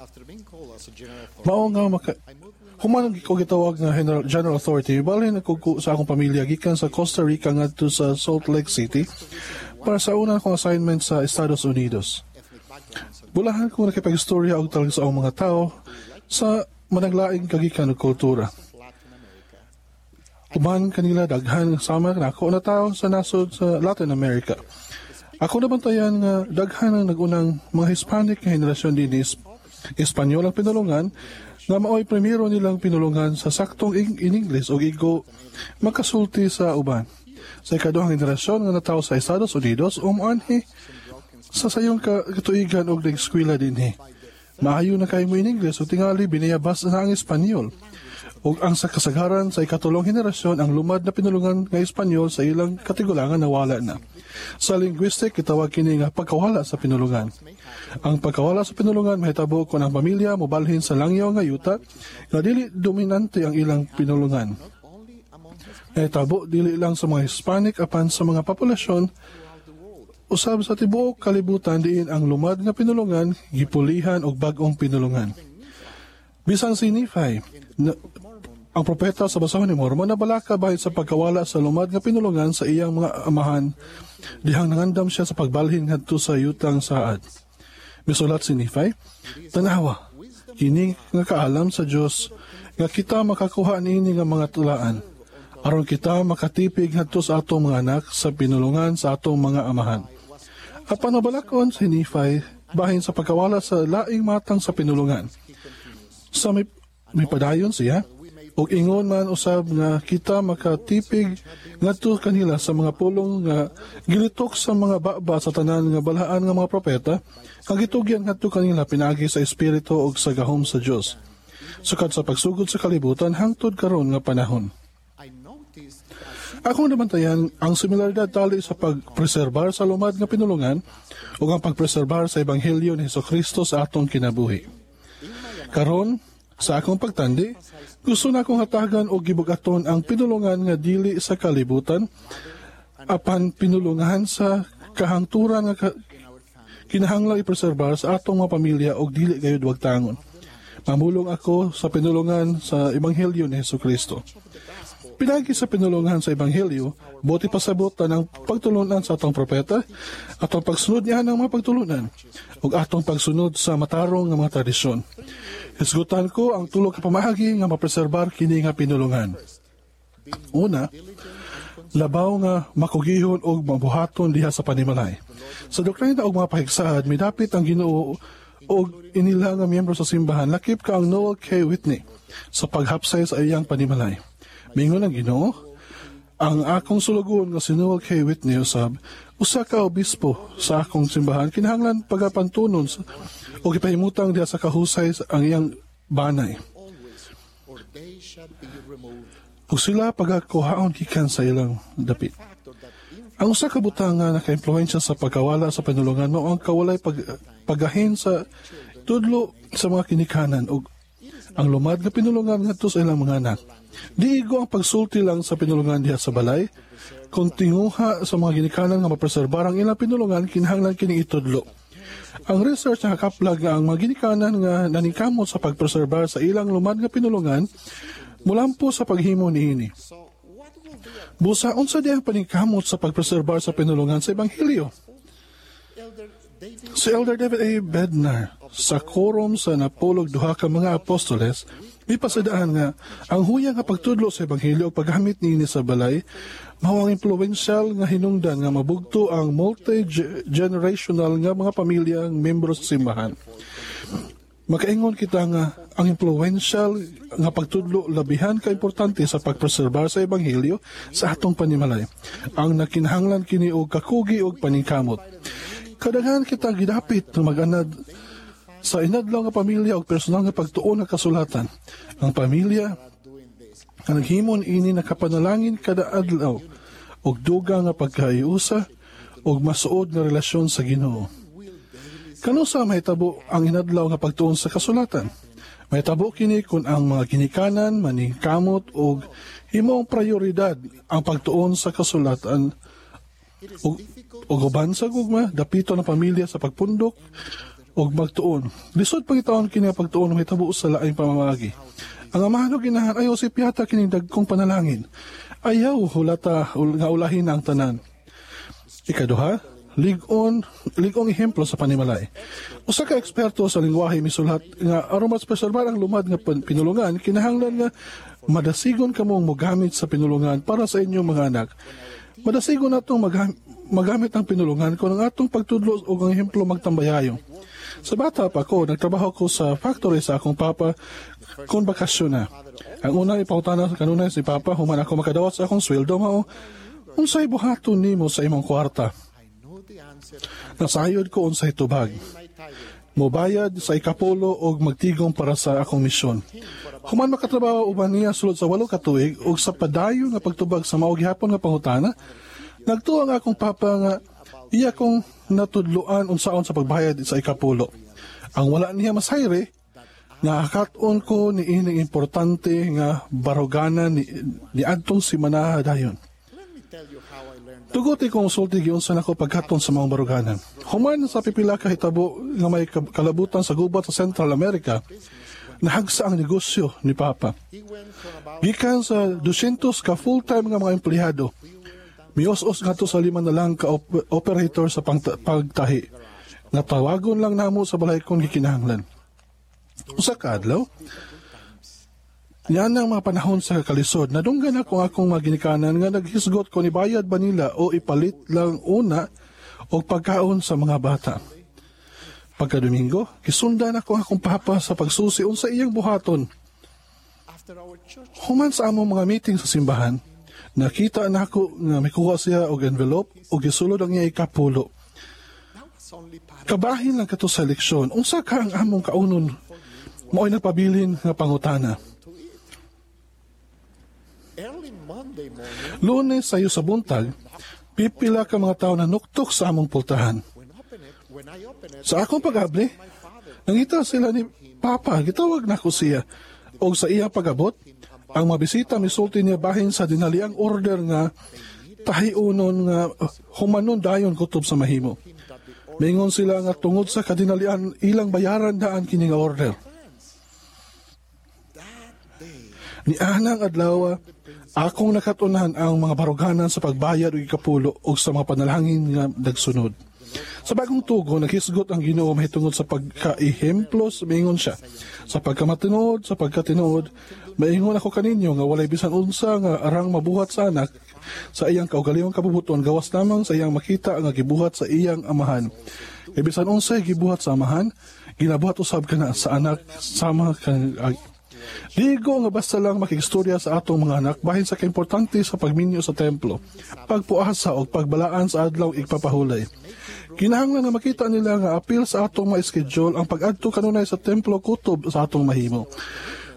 After being called as a general authority, Mao nga maka I moved with my human ko gitawag nga general authority, balhin ako sa akong pamilya gikan sa Costa Rica ngadto sa Salt Lake City para sa una akong assignment sa Estados Unidos. ethnic backgrounds and Bulahan ko nakipagistorya og talag sa akong mga tao sa managlaing kagikan ug kultura. Latin America. Uban kanila daghan sama nako na tao sa nasod sa Latin America. Ako nabantayan nga daghan ang nagunang mga Hispanic nga henerasyon dinhi Espanyol ang pinulungan nga maoy primero nilang pinulungan sa saktong in English og igo makasulti sa uban. Sa ikaduhang henerasyon nga natawo sa Estados Unidos, umuanhi sa sayong katuigan og nag-eskwela dinhi. Maayo na kay mo in English ug tingali biniyabas na ang Espanyol. Ug ang sa kasagaran sa ikatulong henerasyon, ang lumad na pinulungan nga Espanyol sa ilang katigulangan nawala na. Sa linguistic, gitawag kini nga pagkawala sa pinulungan. Ang pagkawala sa pinulungan mahitabo kung ang pamilya mobalhin sa langyaw nga yuta nga dili dominante ang ilang pinulungan. Only among Hispanics Nahitabo dili lang sa mga Hispanic apan sa mga populasyon throughout the world. Usab sa tibuok kalibutan diin ang lumad nga pinulungan gipulihan og bag-ong pinulungan. Bisan si Nephi, na, ang propeta sa basahon ni Mormon, nabalaka bahin sa pagkawala sa lumad nga pinulungan sa iyang mga amahan dihang nangandam siya sa pagbalhin ngadto sa yutang saad. Misulat si Nephi, "Tanawa, kini nga kaalam sa Dios nga kita makakuha niini nga mga tulaan aron kita makatipig ngadto sa atong mga anak sa pinulungan sa atong mga amahan." Apan nabalakon si Nephi bahin sa pagkawala sa laing matang sa pinulungan. Sa may padayon siya, ug ingon man usab nga kita makatipig ngadto kanila sa mga pulong nga gilitok sa mga baba sa tanan nga balaan nga mga propeta nga gitugyan ngadto kanila pinaagi sa espiritu ug sa gahom sa Dios sukad sa pagsugod sa kalibutan hangtod karon nga panahon. I noticed Akong nabantayan ang similaridad tali sa pagpreserbar sa lumad nga pinulungan ug ang pagpreserbar sa Ebanghelyo ni Kristo sa atong kinabuhi. Karon, sa akong pagtandi, gusto na akong hatagan og gibugaton ang pinulungan nga dili sa kalibutan apan pinulungan sa kahangturan nga kinahanglan ipreserbar sa atong mga pamilya og dili gayud wagtangon. Mamulong ako sa pinulungan sa Ebanghelyo ni Kristo. Pinagi sa pinulungan sa Ebanghelyo, buot ipasabot ang pagtulunan sa atong propeta, atong pagsunod niya ng mga pagtulunan, ug atong pagsunod sa matarong nga mga tradisyon. Hisgutan ko ang tulo ka pamaagi nga mapreserbar kini nga pinulungan. Una, labaw nga makugihon og mabuhaton diha sa panimalay. Sa doktrina og mga pahigsaad, midapit ang Ginoo og inila nga miyembro sa simbahan lakip ka ang Noel K. Whitney sa paghapsay sa iyang panimalay. Mingon ang Ginoo, "Ang akong sulugoon nga si Noel K. Whitney usab usa ka obispo sa akong simbahan kinahanglan pagapantunon og ipahimutang diha sa kahusay ang iyang banay always, or they shall be removed. Ug sila pagakuhaon gikan sa ilang dapit." Factor that Ang usa ka butang nga naka-impluwensya sa pagkawala sa pinulungan mao ang kawalay paggahin sa tudlo sa mga kinikanan ug ang lumad nga pinulungan ngadto sa ilang mga anak. Di igo ang pagsulti lang sa pinulungan diha sa balay. Kung tinguha sa mga ginikanan nga mapreserbar ang ilang pinulungan, kinahanglan kining itudlo. Ang research nakakaplag nga ang mga ginikanan nga naningkamot sa pagpreserbar sa ilang lumad nga pinulungan mulampo sa paghimo niini. So, what will be a Busa, unsa di ang paningkamot sa pagpreserbar sa pinulungan sa Ebanghelyo? Elder David Si Elder David A. Bednar sa quorum sa napulog duha ka mga apostoles mipasadaan nga ang huya nga pagtudlo sa ebanghelyo ug paggamit niini sa balay mao ang influential nga hinungdan nga mabugto ang multi-generational nga mga pamilyang membro sa simbahan. Makaingon kita nga ang influential nga pagtudlo labihan ka importante sa pagpreserbar sa ebanghelyo sa atong panimalay. Ang nakinahanglan kini og kakugi og paningkamot. Kadaghan kita gidapit nga mag-anad sa inadlaw nga pamilya og personal nga pagtuon nga kasulatan. Ang pamilya doing this. Nga naghimon ini nakapanalangin kada adlaw og dugang nga pagkaiusa og masuod nga relasyon sa Ginoo. Kanusa mahitabo ang inadlaw nga pagtuon sa kasulatan? Mahitabo kini kung ang mga ginikanan maningkamot og himong prioridad ang pagtuon sa kasulatan It is ug difficult ug uban sa gugma dapito ng pamilya sa pagpundok Ug magtuon. Lisod pangitaon kini nga pagtuon mahitabo sa laing pamamaagi. Ang amahan ug inahan, ayaw sipyata kining dagkong panalangin. Ayaw hulata nga ulahin ang tanan. Ikaduha, lig-on, lig-ong ehemplo sa panimalay. Usa ka eksperto sa lingwahe misulat nga aron mas preserbar ang lumad nga pinulungan, kinahanglan nga madasigon kamong mogamit sa pinulungan para sa inyong mga anak. Madasigon natong magamit ang pinulungan kung ang atong pagtudlo o ang ehemplo magtambayayo. Sa bata pa ko, nagtrabaho ko sa factory sa akong papa kung bakasyon na. Ang una ipangutana sa kanunay si papa human ako makadawat sa akong sweldo mao, unsay buhaton nimo sa imong kwarta? I know the answer Nasayod ko unsay tubag. my tithing. Mobayad sa ikapulo og magtigom para sa akong misyon. Human makatrabaho uban niya sulod sa 8 ka tuig ug sa padayon nga pagtubag sa mao gihapon nga pangutana, nagtuo ang akong papa nga iya kong natudloan unsaon sa pagbayad sa ikapulo. Ang wala niya masayre, nakakat-on ko ni ining importante nga baruganan ni adtong simana dayon. Let me tell you how I learned that. Tuguti kong sulti giunsa nako pagkaton sa mga baruganan. Human sa pipila ka hitabo nga may kalabutan sa gubat sa Central America, nahagsa ang negosyo ni Papa. He went from about Gikan sa 200 ka full-time nga mga empleyado, mios-os ngadto sa 5 na lang ka operator sa pagtahi. Natawagon lang namo sa balay kung gikinahanglan. Usa ka adlaw, niyan ang mga panahon sa kalisod, nadunggan ako ang akong mga ginikanan nga naghisgot kung ibayad ba nila o ipalit lang una og pagkaon sa mga bata. Pagka Domingo, gisundan ako ang akong papa sa pagsusi unsa iyang buhaton. After our church Human sa among mga meeting sa simbahan, nakita nako nga mikuha siya og envelope ug gisulod ang iya ikapulo. That was only part Kabahin lang kato sa leksyon, unsa ka ang among kaunon mao'y nagpabilin nga pangutana. to eat. Early Monday morning, Lunes sayo sa buntag, pipila ka mga tao na nuktok sa among pultahan. When I open it, Sa akong pag-abli, my father nangita sila ni Papa, gitawag nako siya. Og sa iya pag-abot, ang mga bisita misulti niya bahin sa dinaliang order nga tahiunon nga humanon dayon kutob sa mahimo. that the order Mingon sila nga tungod sa kadinalian ilang bayaran daan kini nga order. That day, Ni anang adlaw, akong nakatunan ang mga baruganan sa pagbayad og ikapulo og sa mga panalangin nga nagsunod. Sa bagong tugo, naghisgot ang Ginoo mahitungod sa pagkaehemplo, maingon siya. Sa pagkamatinuod, sa pagkatinuod, maingon ako kaninyo nga walay bisan unsa nga arang mabuhat sa anak sa iyang kaugalingong kabubuton gawas lamang sa iyang makita nga gibuhat sa iyang amahan. Kay bisan unsay gibuhat sa amahan, ginabuhat usab kana sa anak sama kan. Ligo nga basta lang makigstorya sa atong mga anak bahin sa kaimportante sa pagminyo sa templo, pagpuasa o pagbalaan sa adlaw igpapahulay. Kinahanglan nga makita nila nga apil sa atong ma-schedule ang pag-adto kanunay sa templo kutob sa atong mahimo.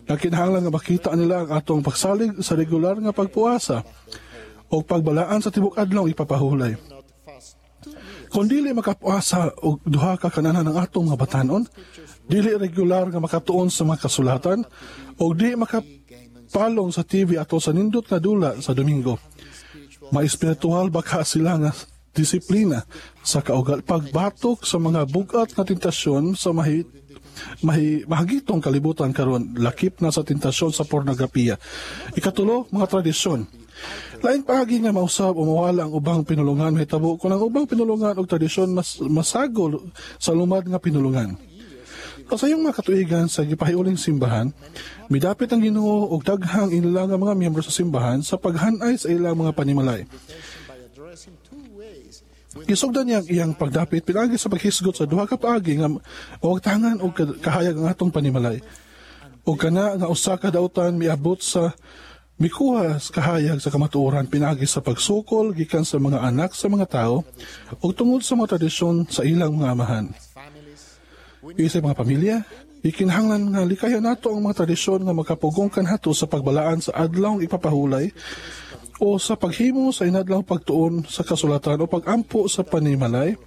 Na kinahanglan nga makita nila ang atong pagsalig sa regular nga pagpuasa o pagbalaan sa tibok adlaw ipapahulay. Not fast two meals. Kung dili makapuasa og duha ka kananan ang atong mga batanon, dili regular nga makatuon sa mga kasulatan, o di makapalong sa TV ato sa nindot nga dula sa Domingo. Maespiritual baka sila nga disiplina sa kaugal pagbatok sa mga bugat nga tentasyon sa mahi, mahi, mahagitong kalibutan karon, lakip na sa tentasyon sa pornografiya. Ikatulo, mga tradisyon. Lain paagi nga mausab o mawala ang ubang pinulungan mahitabo kung ang ubang pinulungan og tradisyon mas masagol sa lumad nga pinulungan. Sa iyong mga katuigan sa gipahiuling simbahan, midapit ang Ginoo og daghang ilang nga mga miyembro sa simbahan sa paghanay sa ilang mga panimalay. By addressing two ways with Gisugdan niya ang iyang pagdapit pinaagi sa paghisgot sa duha ka paagi nga mawagtangan og kahayag ang atong panimalay. O kana nga usa ka dautan miabot sa mikuha sa kahayag sa kamatuoran pinaagi sa pagsukol gikan sa mga anak sa mga tao ug tungod sa mga tradisyon sa ilang mga amahan. Families. We Isip mga pamilya, ikinahanglan nga likayan nato ang mga tradisyon nga makapugong kanhato sa pagbalaan sa adlawng ipapahulay o sa paghimo sa inadlaw pagtuon sa kasulatan o pagampo sa panimalay.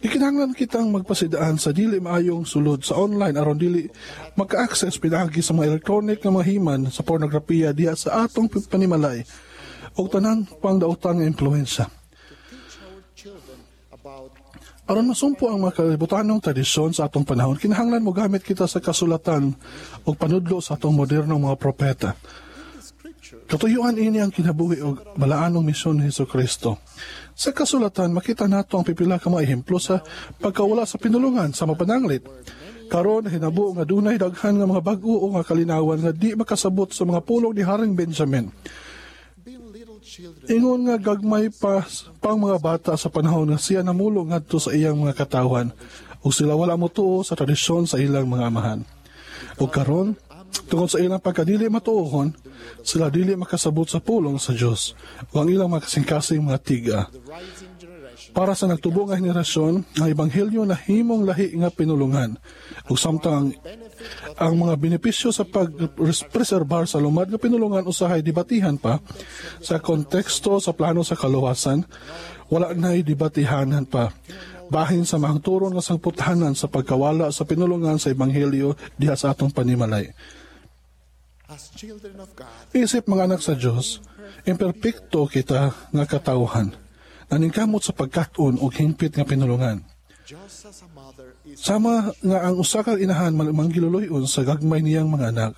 Ikinahanglan kitang magpasidaan sa dili maayong sulod sa online aron dili maka-access pinaagi sa mga electronic nga mga himan sa pornografiya diha sa atong panimalay ug tanan pang dautan nga impluwensya. To teach our children about Aron masumpo ang mga kalibutanong tradisyon sa atong panahon, kinahanglan mo gamit kita sa kasulatan ug panudlo sa atong modernong mga propeta. Katuyuan ini ang kinabuhi og balaanong misyon ni Hesus Kristo. Sa kasulatan, makita nato ang pipila ka mga ehemplo sa pagkawala sa pinulungan sa mapananglit. Karon hinabo nga dunay daghan nga mga bag-o o nga kalinawan nga di makasabot sa mga pulong ni Haring Benjamin. Ingon nga gagmay pa pang mga bata sa panahon nga siya namulong ngadto sa iyang mga katawhan ug sila wala motuo sa tradisyon sa ilang mga amahan. Ug karon, tungod sa ilang pagkadili matuohon, sila dili makasabot sa pulong sa Dios ug ang ilang mga kasing-kasing mga tiga. Para sa nagtubo nga henerasyon, ang ebanghelyo nahimong lahi nga pinulungan ug samtang ang mga benepisyo sa pag-preserbar sa lumad nga pinulungan usahay debatihan pa sa konteksto sa plano sa kaluwasan, wala na'y debatihanan pa bahin sa mahangturon nga sangputahanan sa pagkawala sa pinulungan sa ebanghelyo diha sa atong panimalay. Isip mga anak sa Dios, imperpekto kita nga katawhan, naningkamot sa pagkat-on og hingpit nga pinulungan. Sama nga ang usa ka inahan manggiluluyon sa gagmay niyang mga anak,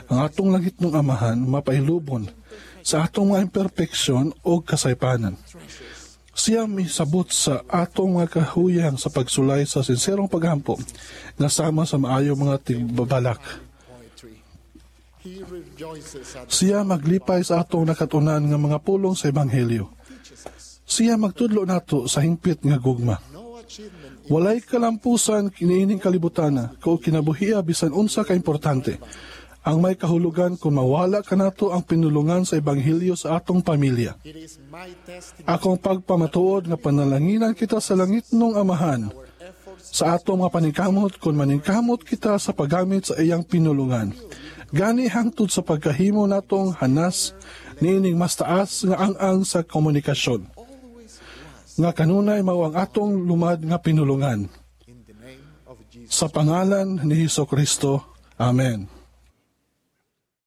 ang atong langitnong Amahan mapailubon sa atong mga imperpeksyon o kasaypanan. Siya misabot sa atong mga kahuyang sa pagsulay sa sinserong paghampo nga sama sa maayo mga tigbabalak. Siya maglipay sa atong nakatunan nga mga pulong sa ebanghelyo. Siya magtudlo nato sa hingpit nga gugma. Walay kalampusan kiniining kalibutana ko kinabuhia bisan unsa ka importante. Ang may kahulugan kung mawala kanato ang pinulungan sa ebanghelyo sa atong pamilya. Akong pagpamatuod nga panalanginan kita sa langit nung Amahan sa atong mga paningkamot kung maningkamot kita sa paggamit sa iyang pinulungan. Gani hangtod sa pagkahimo natong hanas niining mas taas nga ang-ang sa komunikasyon nga kanunay mao ang atong lumad nga pinulungan. Sa pangalan ni Hesus Kristo. Amen.